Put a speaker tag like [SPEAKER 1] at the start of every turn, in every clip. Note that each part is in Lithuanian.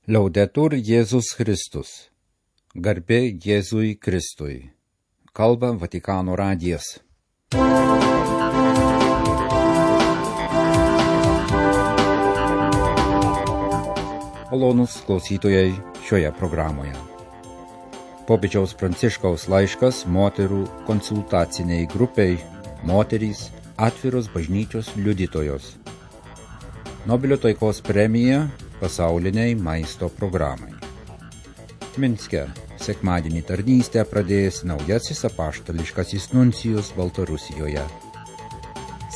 [SPEAKER 1] Laudetur Jėzus Kristus. Garbė Jėzui Kristui. Kalba Vatikano radijas. Malonūs klausytojai šioje programoje. Popiežiaus Pranciškaus laiškas moterų konsultaciniai grupiai Moterys atviros bažnyčios liudytojos. Nobelio taikos premija pasauliniai maisto programai. Minske sekmadienį tarnystę pradėjęs naujasis apaštališkasis nuncijus Baltarusijoje.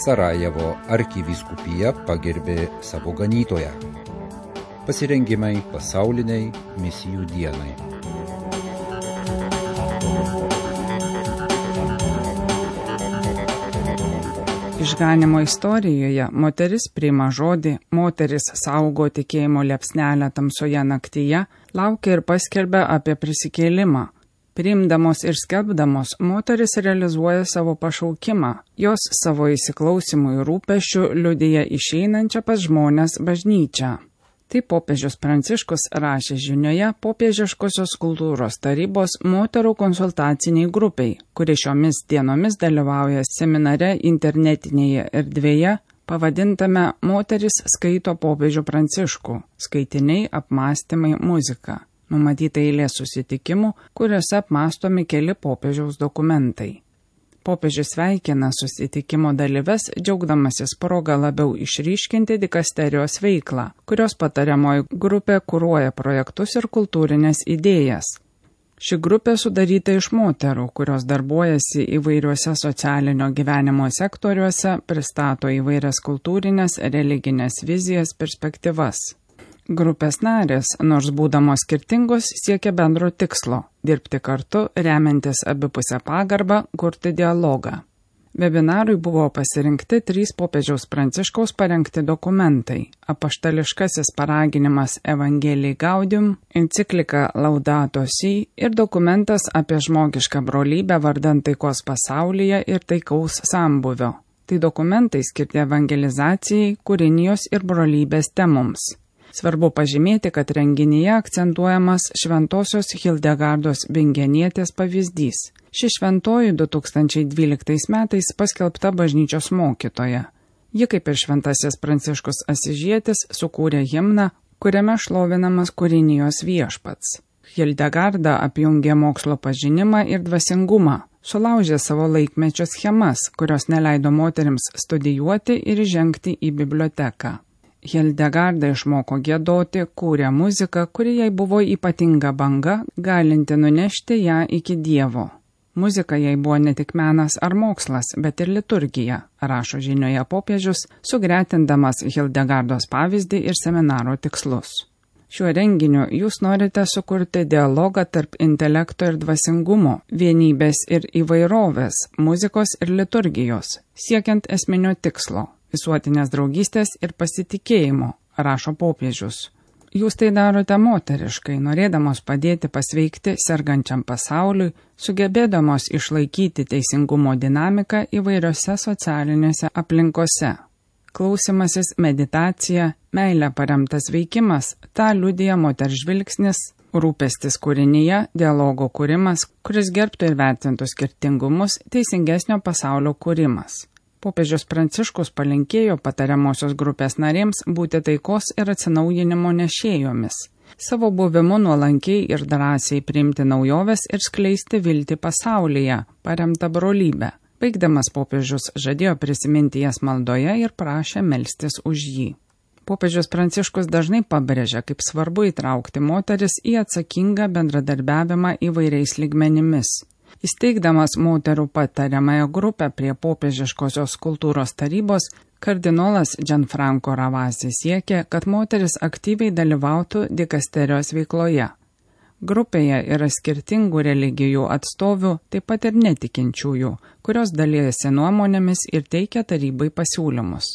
[SPEAKER 1] Sarajevo arkivyskupija pagerbė savo ganytoją. Pasirengimai pasauliniai misijų dienai.
[SPEAKER 2] Išganimo istorijoje moteris priima žodį, moteris saugo tikėjimo liepsnelę tamsoje naktyje, laukia ir paskelbia apie prisikėlimą. Priimdamos ir skelbdamos, moteris realizuoja savo pašaukimą, jos savo įsiklausimų ir rūpesčių liudija išeinančią pas žmones bažnyčią. Tai popiežius Pranciškus rašė žinioje popiežiškosios kultūros tarybos moterų konsultaciniai grupiai, kuri šiomis dienomis dalyvauja seminare internetinėje erdvėje, pavadintame Moteris skaito popiežių Pranciškų, skaitiniai, apmąstymai, muzika. Numatyta eilė susitikimų, kuriuose apmąstomi keli popiežiaus dokumentai. Popiežius sveikina susitikimo dalyves, džiaugdamasis progą labiau išryškinti dikasterijos veiklą, kurios patariamoji grupė kuruoja projektus ir kultūrinės idėjas. Ši grupė sudaryta iš moterų, kurios darbuojasi įvairiuose socialinio gyvenimo sektoriuose, pristato įvairias kultūrinės, religinės vizijas, perspektyvas. Grupės narės, nors būdamos skirtingos, siekia bendro tikslo – dirbti kartu, remiantis abipusę pagarbą, kurti dialogą. Webinarui buvo pasirinkti 3 popiežiaus Pranciškaus parengti dokumentai – apaštališkasis paraginimas Evangelii Gaudium, enciklika Laudato Si ir dokumentas apie žmogišką brolybę vardan taikos pasaulyje ir taikaus sambūvio. Tai dokumentai skirti evangelizacijai, kūrinijos ir brolybės temoms. Svarbu pažymėti, kad renginyje akcentuojamas šventosios Hildegardos Bingenietės pavyzdys. Ši šventoji 2012 metais paskelbta bažnyčios mokytoja. Ji, kaip ir šventasis Pranciškus Asižietis, sukūrė himną, kuriame šlovinamas kūrinijos viešpats. Hildegarda apjungė mokslo pažinimą ir dvasingumą, sulaužė savo laikmečio schemas, kurios neleido moterims studijuoti ir žengti į biblioteką. Hildegarda išmoko giedoti, kūrė muziką, kuri jai buvo ypatinga banga, galinti nunešti ją iki Dievo. Muzika jai buvo ne tik menas ar mokslas, bet ir liturgija, rašo žinioje popiežius, sugretindamas Hildegardos pavyzdį ir seminaro tikslus. Šiuo renginiu jūs norite sukurti dialogą tarp intelekto ir dvasingumo, vienybės ir įvairovės, muzikos ir liturgijos, siekiant esminio tikslo – visuotinės draugystės ir pasitikėjimo, rašo popiežius. Jūs tai darote moteriškai, norėdamos padėti pasveikti sergančiam pasauliui, sugebėdamos išlaikyti teisingumo dinamiką įvairiose socialinėse aplinkose. Klausimasis, meditacija, meilė paremtas veikimas, tą liudija moters žvilgsnis, rūpestis kūrinyje, dialogo kūrimas, kuris gerbtų ir vertintų skirtingumus, teisingesnio pasaulio kūrimas. Popiežius Pranciškus palinkėjo patariamosios grupės narėms būti taikos ir atsinaujinimo nešėjomis, savo buvimu nuolankiai ir drąsiai priimti naujoves ir skleisti viltį pasaulyje, paremtą brolybę. Baigdamas popiežius žadėjo prisiminti jas maldoje ir prašė melstis už jį. Popiežius Pranciškus dažnai pabrėžia, kaip svarbu įtraukti moteris į atsakingą bendradarbiavimą įvairiais lygmenimis. Įsteigdamas moterų patariamąją grupę prie popiežiškosios kultūros tarybos, kardinolas Gianfranco Ravasi siekė, kad moteris aktyviai dalyvautų dikasterijos veikloje. Grupėje yra skirtingų religijų atstovių, taip pat ir netikinčiųjų, kurios dalijasi nuomonėmis ir teikia tarybai pasiūlymus.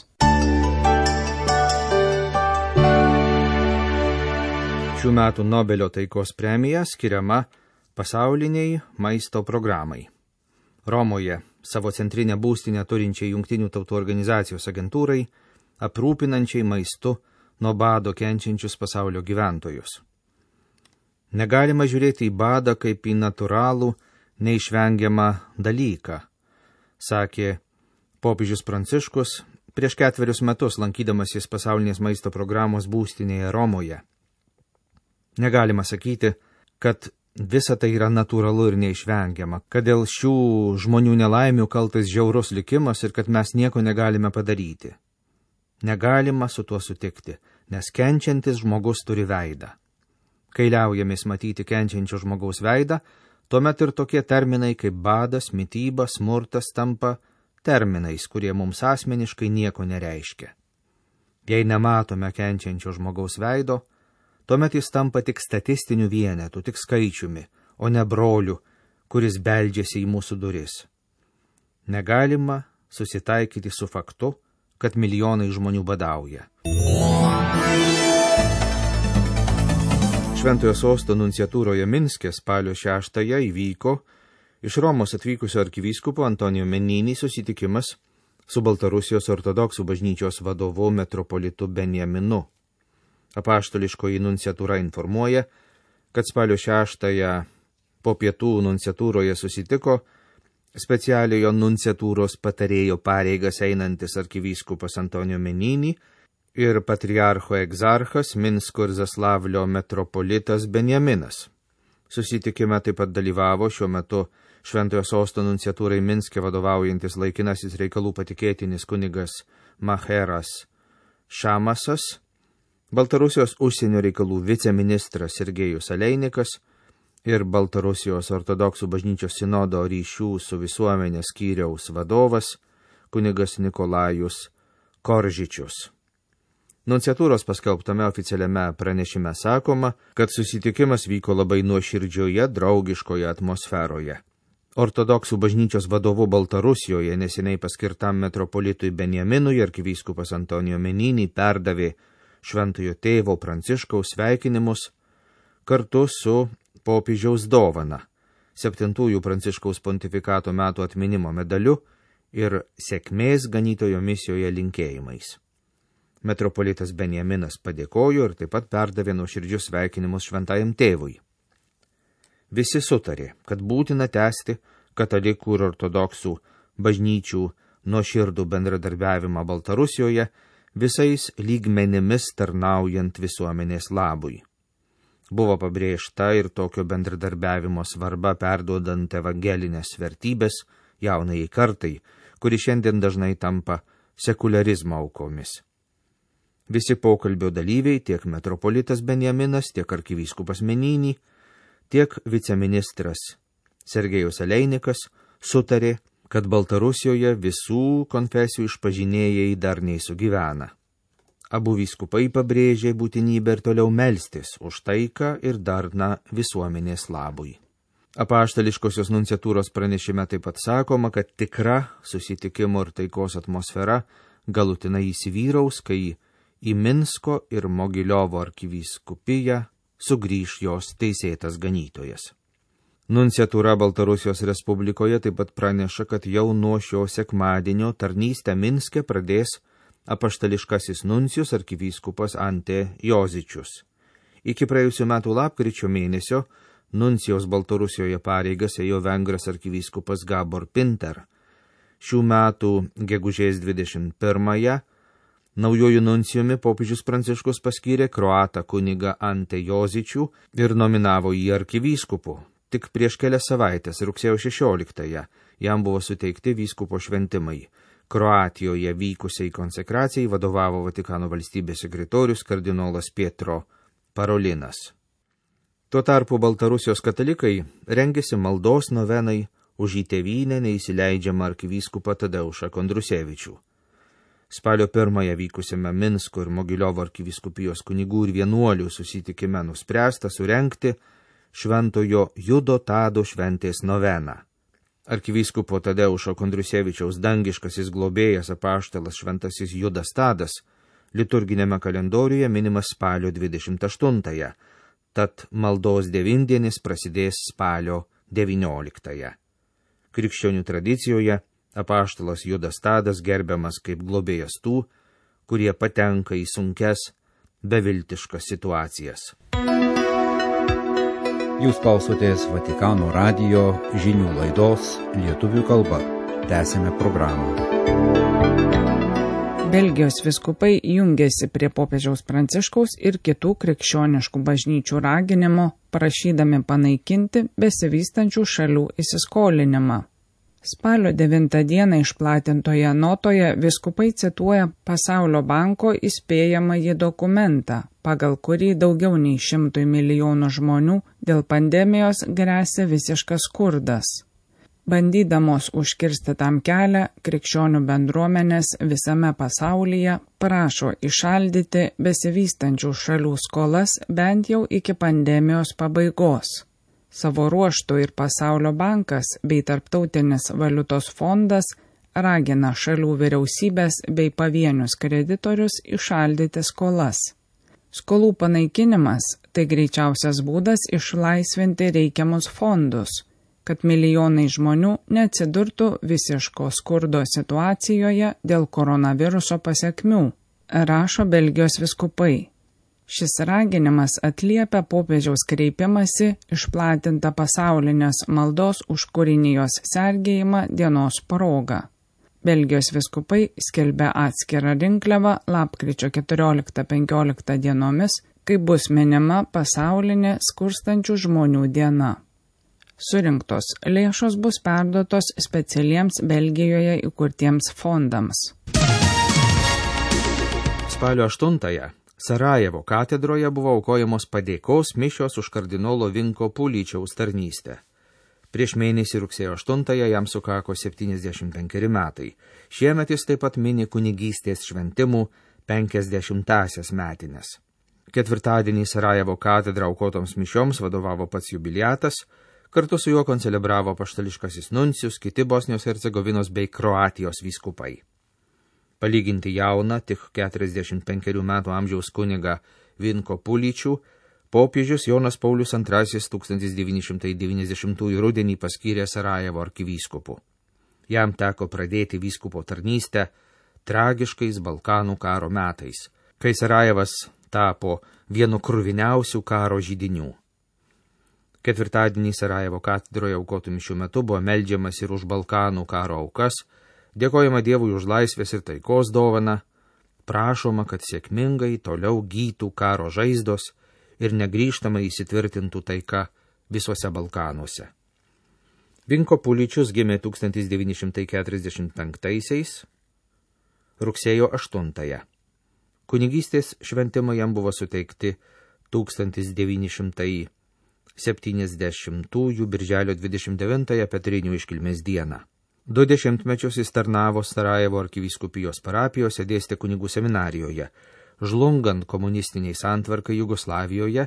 [SPEAKER 3] Šių metų Nobelio taikos premija skiriama pasauliniai maisto programai. Romoje savo centrinę būstinę turinčiai Jungtinių tautų organizacijos agentūrai, aprūpinančiai maistu nuo bado kenčiančius pasaulio gyventojus. Negalima žiūrėti į badą kaip į natūralų, neišvengiamą dalyką, sakė popiežius Pranciškus prieš 4 metus lankydamasis pasaulinės maisto programos būstinėje Romoje. Negalima sakyti, kad visa tai yra natūralu ir neišvengiama, kad dėl šių žmonių nelaimių kaltas žiaurus likimas ir kad mes nieko negalime padaryti. Negalima su tuo sutikti, nes kenčiantis žmogus turi veidą. Kai liaujamės matyti kenčiančio žmogaus veidą, tuomet ir tokie terminai kaip badas, mityba, smurtas tampa terminais, kurie mums asmeniškai nieko nereiškia. Jei nematome kenčiančio žmogaus veido, tuomet jis tampa tik statistiniu vienetu, tik skaičiumi, o ne broliu, kuris beldžiasi į mūsų duris. Negalima susitaikyti su faktu, kad milijonai žmonių badauja. Šventojo sosto nunciatūroje Minske spalio 6-ąją įvyko iš Romos atvykusio arkivyskupo Antonijo Menini susitikimas su Baltarusijos ortodoksų bažnyčios vadovu metropolitu Benjaminu. Apaštališkoji nunciatūra informuoja, kad spalio 6-ąją po pietų nunciatūroje susitiko specialiojo nunciatūros patarėjo pareigas einantis arkivyskupas Antonijo Menini ir patriarcho egzarchas Minsko ir Zaslavlio metropolitas Benjaminas. Susitikime taip pat dalyvavo šiuo metu Šventojo sosto nunciatūrai Minske vadovaujantis laikinasis reikalų patikėtinis kunigas Maheras Šamasas, Baltarusijos užsienio reikalų viceministras Sergejus Aleinikas ir Baltarusijos ortodoksų bažnyčios sinodo ryšių su visuomenė skyriaus vadovas kunigas Nikolajus Koržičius. Nunciatūros paskelbtame oficialiame pranešime sakoma, kad susitikimas vyko labai nuoširdžioje, draugiškoje atmosferoje. Ortodoksų bažnyčios vadovu Baltarusijoje neseniai paskirtam metropolitui Benjaminui arkivyskupas Antonijo Menini perdavė Šventojo tėvo Pranciškaus sveikinimus kartu su popiežiaus dovana, 7-ųjų Pranciškaus pontifikato metų atminimo medaliu ir sėkmės ganytojo misijoje linkėjimais. Metropolitas Benjaminas padėkojo ir taip pat perdavė nuoširdžius sveikinimus šventajam tėvui. Visi sutarė, kad būtina tęsti katalikų ir ortodoksų bažnyčių nuoširdų bendradarbiavimą Baltarusijoje visais lygmenimis tarnaujant visuomenės labui. Buvo pabrėžta ir tokio bendradarbiavimo svarba perduodant evangelinės vertybės jaunajai kartai, kuri šiandien dažnai tampa sekularizmo aukomis. Visi pokalbio dalyviai, tiek metropolitas Benjaminas, tiek arkivyskupas Menini, tiek viceministras Sergejus Aleinikas sutarė, kad Baltarusijoje visų konfesijų išpažinėjai darniai sugyvena. Abu vyskupai pabrėžė būtinybę ir toliau melstis už taiką ir darną visuomenės labui. Apaštališkosios nunciatūros pranešime taip pat sakoma, kad tikra susitikimo ir taikos atmosfera galutinai įsivyraus, kai į Minsko ir Mogiliovo arkivyskupiją sugrįš jos teisėtas ganytojas. Nunciatūra Baltarusijos Respublikoje taip pat praneša, kad jau nuo šio sekmadienio tarnystę Minske pradės apaštališkasis nuncijus arkivyskupas Ante Jozičius. Iki praėjusių metų lapkričio mėnesio nuncijaus Baltarusijoje pareigas ėjo vengras arkivyskupas Gabor Pinter. Šių metų gegužės 21-ąją naujojų nuncijumi popiežius Pranciškus paskyrė kroatą kunigą Ante Jozičių ir nominavo jį arkivyskupu. Tik prieš kelias savaitės, rugsėjo 16-ąją, jam buvo suteikti vyskupo šventimai. Kroatijoje vykusiai konsekracijai vadovavo Vatikano valstybės sekretorius kardinolas Pietro Parolinas. Tuo tarpu Baltarusijos katalikai rengėsi maldos novenai už į tėvynę neįsileidžiamą arkivyskupą Tadeušą Kondrusevičių. Spalio 1-ąją vykusiame Minsko ir Mogiliovo arkivyskupijos kunigų ir vienuolių susitikime nuspręsta surengti Šventojo Judo Tado šventės noveną. Arkivyskupo Tadeušo Kondrusevičiaus dangiškasis globėjas apaštalas šventasis Judas Tadas liturginėme kalendoriuje minimas spalio 28-ąją, tad maldos devindienis prasidės spalio 19-ąją. Krikščionių tradicijoje apaštalas Judas Tadas gerbiamas kaip globėjas tų, kurie patenka į sunkias, beviltiškas situacijas.
[SPEAKER 1] Jūs klausotės Vatikano radijo žinių laidos lietuvių kalba. Tęsime programą.
[SPEAKER 2] Belgijos vyskupai jungiasi prie popiežiaus Pranciškaus ir kitų krikščioniškų bažnyčių raginimo, prašydami panaikinti besivystančių šalių įsiskolinimą. Spalio 9 dieną išplatintoje notoje vyskupai cituoja Pasaulio banko įspėjamąjį dokumentą, pagal kurį daugiau nei 100 milijonų žmonių dėl pandemijos gresia visiškas skurdas. Bandydamos užkirsti tam kelią, krikščionių bendruomenės visame pasaulyje prašo įšaldyti besivystančių šalių skolas bent jau iki pandemijos pabaigos. Savo ruožtu ir Pasaulio bankas bei Tarptautinis valiutos fondas ragina šalių vyriausybės bei pavienius kreditorius įšaldyti skolas. Skolų panaikinimas – tai greičiausias būdas išlaisvinti reikiamus fondus, kad milijonai žmonių neatsidurtų visiško skurdo situacijoje dėl koronaviruso pasekmių, rašo Belgijos vyskupai. Šis raginimas atliepia popiežiaus kreipimąsi išplatintą pasaulinės maldos už kūrinijos sergėjimą dienos proga. Belgijos vyskupai skelbia atskirą rinkliavą lapkričio 14-15 dienomis, kai bus minima pasaulinė skurstančių žmonių diena. Surinktos lėšos bus perduotos specialiems Belgijoje įkurtiems fondams.
[SPEAKER 3] Spalio 8-ąją Sarajevo katedroje buvo aukojamos padėkos mišios už kardinolo Vinko Puličiaus tarnystę. Prieš mėnesį rugsėjo 8-ąją jam sukako 75 metai. Šiemet jis taip pat mini kunigystės šventimų 50-asias metines. Ketvirtadienį Sarajevo katedrą aukotoms mišioms vadovavo pats jubiliatas, kartu su juo koncelebravo apaštališkasis nuncijus, kiti Bosnijos Hercegovinos bei Kroatijos vyskupai. Palyginti jauną, tik 45 metų amžiaus kunigą Vinko Puličių, popiežius Jonas Paulius II 1990 rudenį paskyrė Sarajevo arkivyskupu. Jam teko pradėti vyskupo tarnystę tragiškais Balkanų karo metais, kai Sarajevas tapo vienu kruviniausių karo židinių. Ketvirtadienį Sarajevo katedroje aukotų mišių metu buvo meldžiamas ir už Balkanų karo aukas, dėkojama Dievui už laisvės ir taikos dovaną, prašoma, kad sėkmingai toliau gytų karo žaizdos ir negrįžtamai įsitvirtintų taika visuose Balkanuose. Vinko Puličius gimė 1945 rugsėjo 8. Kunigystės šventimai jam buvo suteikti 1970 birželio 29 Petrinių iškilmės dieną. 20 metus jis tarnavo Sarajevo arkivyskupijos parapijose, dėstė kunigų seminarijoje. Žlungant komunistiniai santvarkai Jugoslavijoje,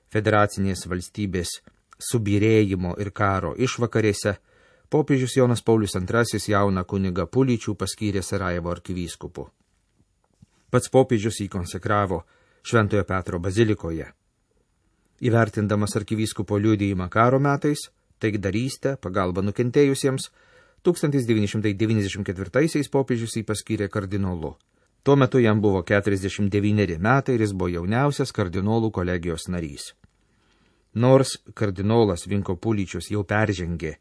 [SPEAKER 3] federacinės valstybės subyrėjimo ir karo išvakarėse, popiežius Jonas Paulius II jauną kunigą Puličių paskyrė Sarajevo arkivyskupu. Pats popiežius jį konsekravo Šventojo Petro bazilikoje. Įvertindamas arkivyskupo liudijimą karo metais, taikdarystę, pagalbą nukentėjusiems, 1994 popiežius jį paskyrė kardinolu. Tuo metu jam buvo 49 metai ir jis buvo jauniausias kardinolų kolegijos narys. Nors kardinolas Vinko Puličius jau peržengė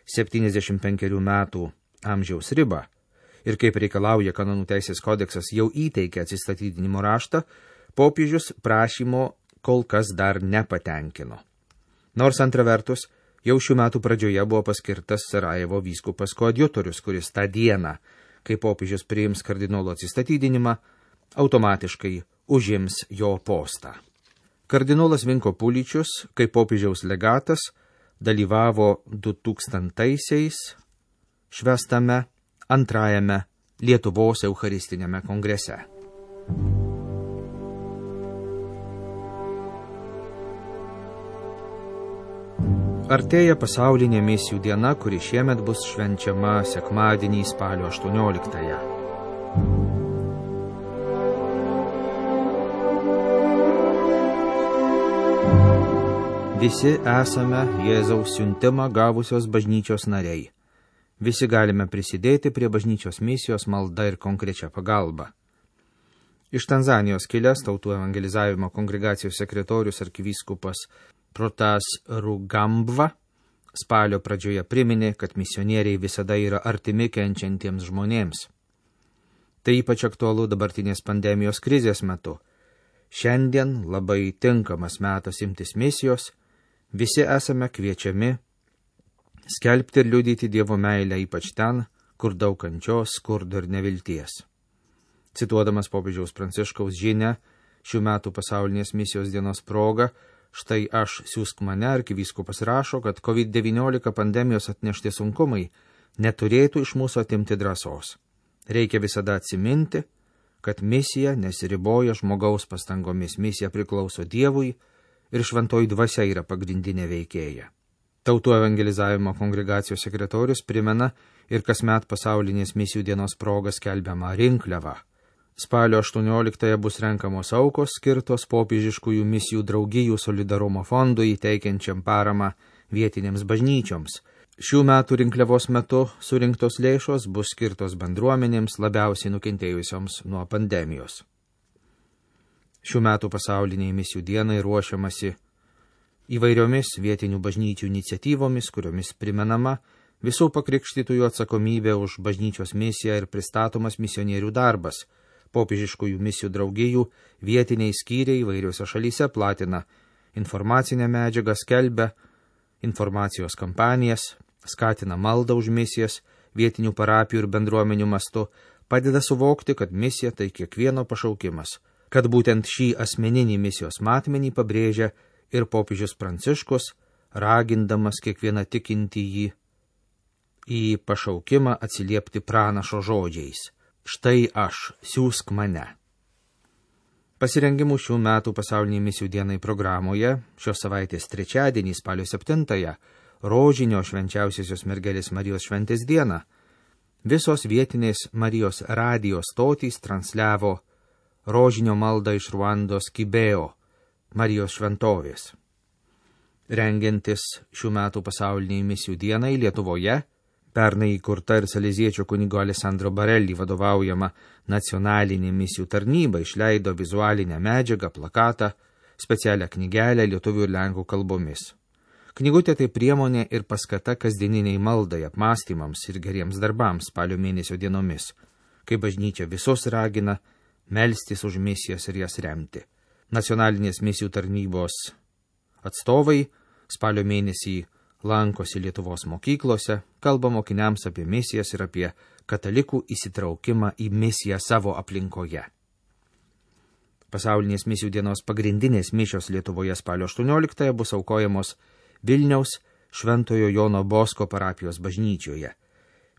[SPEAKER 3] 75 metų amžiaus ribą ir kaip reikalauja kanonų teisės kodeksas jau įteikė atsistatydinimo raštą, popiežius prašymo kol kas dar nepatenkino. Nors antra vertus, jau šių metų pradžioje buvo paskirtas Sarajevo vyskupas koadjutorius, kuris tą dieną, kai popiežius priims kardinolo atsistatydinimą, automatiškai užims jo postą. Kardinolas Vinko Puličius, kaip popiežiaus legatas, dalyvavo 2000-aisiais švęstame antrajame Lietuvos eucharistiniame kongrese. Artėja pasaulinė misijų diena, kuri šiemet bus švenčiama sekmadienį spalio 18-ąją. Visi esame Jėzaus siuntimą gavusios bažnyčios nariai. Visi galime prisidėti prie bažnyčios misijos malda ir konkrečia pagalba. Iš Tanzanijos kilęs Tautų evangelizavimo kongregacijos sekretorius arkivyskupas Protas Rugambva spalio pradžioje priminė, kad misionieriai visada yra artimi kenčiantiems žmonėms. Tai ypač aktualu dabartinės pandemijos krizės metu. Šiandien labai tinkamas metas imtis misijos, visi esame kviečiami skelbti ir liudyti Dievo meilę ypač ten, kur daug kančios, skurdo ir nevilties. Cituodamas popiežiaus Pranciškaus žinią šių metų pasaulinės misijos dienos proga, štai aš siųsk mane, arkivyskupas rašo, kad COVID-19 pandemijos atnešti sunkumai neturėtų iš mūsų atimti drąsos. Reikia visada atsiminti, kad misija nesiriboja žmogaus pastangomis, misija priklauso Dievui ir šventoji dvasia yra pagrindinė veikėja. Tautų evangelizavimo kongregacijos sekretorius primena ir kasmet pasaulinės misijų dienos proga skelbiamą rinkliavą. Spalio 18 bus renkamos aukos skirtos popiežiškųjų misijų draugijų solidarumo fondui, teikiančiam paramą vietinėms bažnyčioms. Šių metų rinkliavos metu surinktos lėšos bus skirtos bendruomenėms labiausiai nukentėjusioms nuo pandemijos. Šių metų pasauliniai misijų dienai ruošiamasi įvairiomis vietinių bažnyčių iniciatyvomis, kuriomis primenama visų pakrikštytųjų atsakomybė už bažnyčios misiją ir pristatomas misionierių darbas. Popiežiškųjų misijų draugijų vietiniai skyriai įvairiose šalyse platina informacinę medžiagą, skelbia informacijos kampanijas, skatina maldą už misijas, vietinių parapijų ir bendruomenių mastu, padeda suvokti, kad misija tai kiekvieno pašaukimas, kad būtent šį asmeninį misijos matmenį pabrėžia ir popiežius Pranciškus, ragindamas kiekvieną tikintįjį į pašaukimą atsiliepti pranašo žodžiais. Štai aš, siųsk mane. Pasirengimų šių metų pasauliniai misijų dienai programoje šios savaitės trečiadienį, spalio 7, rožinio švenčiausiosios mergelės Marijos šventės dieną, visos vietinės Marijos radijo stotys transliavo rožinio maldą iš Ruandos Kibeo, Marijos šventovės. Rengiantis šių metų pasauliniai misijų dienai Lietuvoje, pernai įkurta ir saleziečio kunigo Alessandro Barelli vadovaujama nacionalinė misijų tarnyba išleido vizualinę medžiagą, plakatą, specialią knygelę lietuvių ir lenkų kalbomis. Knygutė tai priemonė ir paskata kasdieniniai maldai, apmąstymams ir geriems darbams spalio mėnesio dienomis, kai bažnyčia visus ragina melstis už misijas ir jas remti. Nacionalinės misijų tarnybos atstovai spalio mėnesį lankosi Lietuvos mokyklose, kalba mokiniams apie misijas ir apie katalikų įsitraukimą į misiją savo aplinkoje. Pasaulinės misijų dienos pagrindinės mišios Lietuvoje spalio 18 bus aukojamos Vilniaus Šventojo Jono Bosko parapijos bažnyčioje.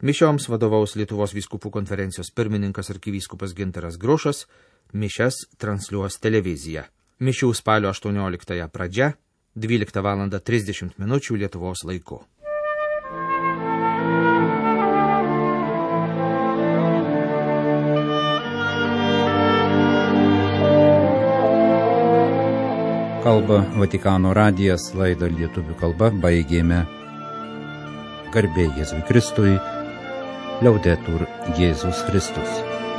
[SPEAKER 3] Mišioms vadovaus Lietuvos vyskupų konferencijos pirmininkas arkivyskupas Gintaras Grušas, mišias transliuos televizija. Mišių spalio 18 pradžia 12:30 Lietuvos laiku.
[SPEAKER 1] Kalba Vatikano radijas, laidą lietuvių kalba baigėme. Garbė Jėzui Kristui, Liaudetur Jėzus Kristus.